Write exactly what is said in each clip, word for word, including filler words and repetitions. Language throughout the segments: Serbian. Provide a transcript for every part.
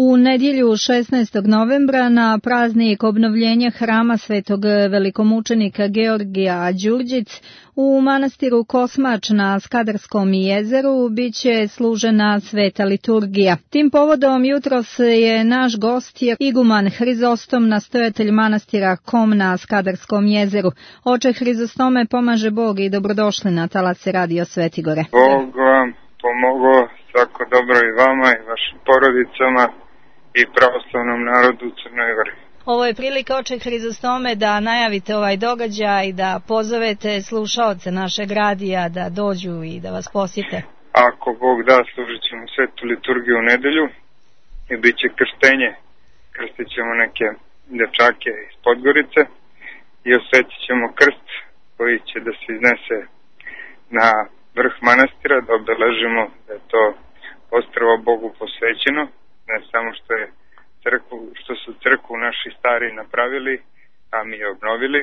U nedjelju šesnaestog novembra na praznik obnovljenja hrama svetog velikomučenika Georgija Đurđic u manastiru Kosmač na Skadarskom jezeru biće služena sveta liturgija. Tim povodom jutros je naš gost je iguman Hrizostom, nastojatelj manastira Kom na Skadarskom jezeru. Oče Hrizostome, pomaže Bog i dobrodošli na talase Radio Svetigore. Bog vam pomogao, svako dobro i vama i vašim porodicama i pravoslavnom narodu u Crnoj Gori. Ovo je prilika, oče Hrizostome, da najavite ovaj događaj i da pozovete slušaoce našeg radija da dođu i da vas posjete. Ako Bog da, služit ćemo svetu liturgiju u nedelju i bit će krštenje. Krstit ćemo neke dečake iz Podgorice i osvetit ćemo krst koji će da se iznese na vrh manastira, da obeležimo da je to ostrvo Bogu posvećeno, ne samo što je crkvu, što su crkvu naši stari napravili, a mi je obnovili,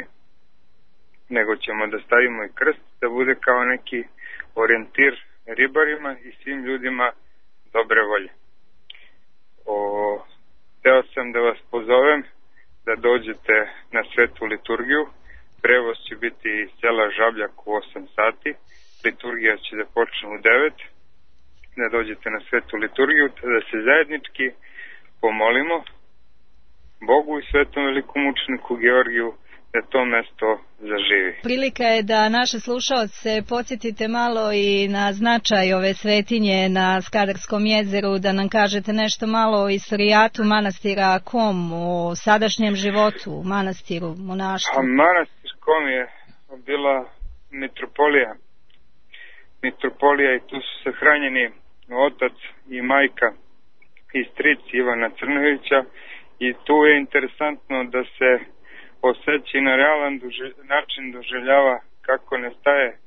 nego ćemo da stavimo i krst, da bude kao neki orijentir ribarima i svim ljudima dobre volje. O, teo sam da vas pozovem da dođete na svetu liturgiju. Prevoz će biti iz sela Žabljak u osam sati, liturgija će da počne u devet, da dođete na svetu liturgiju, da se zajednički pomolimo Bogu i svetom velikomučeniku Georgiju da to mesto zaživi. Prilika je da naše slušaoce podsjetite malo i na značaj ove svetinje na Skadarskom jezeru, da nam kažete nešto malo o istorijatu manastira Kom, o sadašnjem životu manastiru, monaštvu. A manastir Kom je bila mitropolija. Mitropolija i tu su sahranjeni otac i majka i stric Ivana Crnojevića i tu je interesantno da se osjeća na realan duže, način doživljava kako nestaje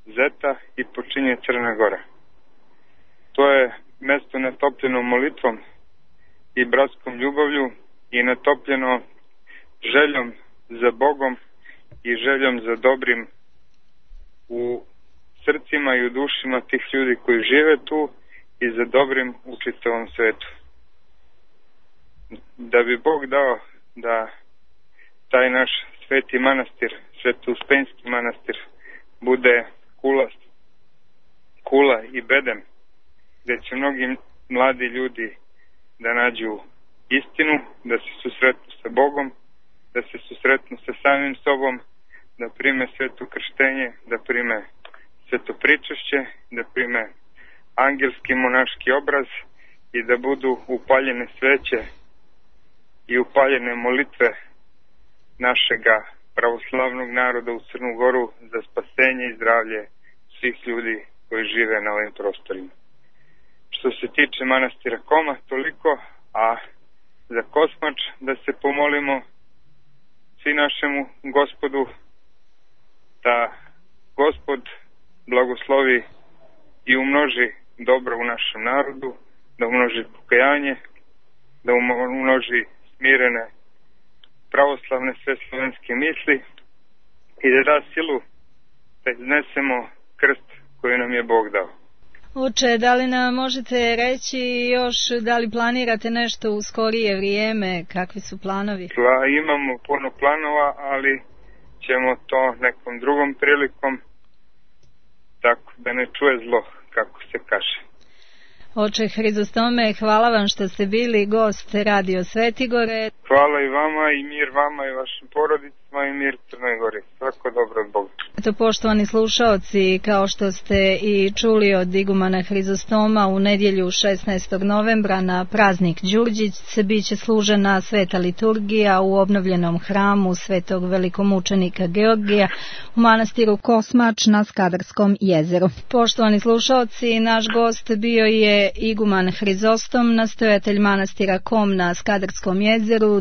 Zeta i počinje Crna Gora. To je mesto natopljeno molitvom i bratskom ljubavlju i natopljeno željom za Bogom i željom za dobrim u srcima i u dušima tih ljudi koji žive tu i za dobrim u čitavom svetu. Da bi Bog dao da taj naš sveti manastir, Sveto-Uspenjski manastir, bude kula, kula i bedem, gdje će mnogi mladi ljudi da nađu istinu, da se susretnu sa Bogom, da se susretnu sa samim sobom, da prime sveto krštenje, da prime sveto pričašće, da prime angelski monaški obraz i da budu upaljene sveće i upaljene molitve našega pravoslavnog naroda u Crnu Goru za spasenje i zdravlje svih ljudi koji žive na ovim prostorima. Što se tiče manastira Koma, toliko, a za Kosmač da se pomolimo svi našemu Gospodu, da Gospod blagoslovi i umnoži dobro u našem narodu, da umnoži pokajanje, da umnoži smirene pravoslavne sve slovenske misli i da da silu da iznesemo krst koji nam je Bog dao. Oče, da li nam možete reći još da li planirate nešto u skorije vrijeme, kakvi su planovi? Pla, imamo puno planova, ali ćemo to nekom drugom prilikom, tako da ne čuje zlo, kako se kaže. Oče Hrizostome, hvala vam što ste bili gost Radio Svetigore. Hvala i vama i mir vama i vašim porodicama i mir Crnoj Gori. Svako dobro od Boga. Eto, poštovani slušaoci, kao što ste i čuli od igumana Hrizostoma, u nedjelju šesnaestog novembra na praznik Đurđic bit će služena sveta liturgija u obnovljenom hramu svetog velikomučenika Georgija u manastiru Kosmač na Skadarskom jezeru. Poštovani slušaoci, naš gost bio je iguman Hrizostom, nastojatelj manastira Kom na Skadarskom jezeru.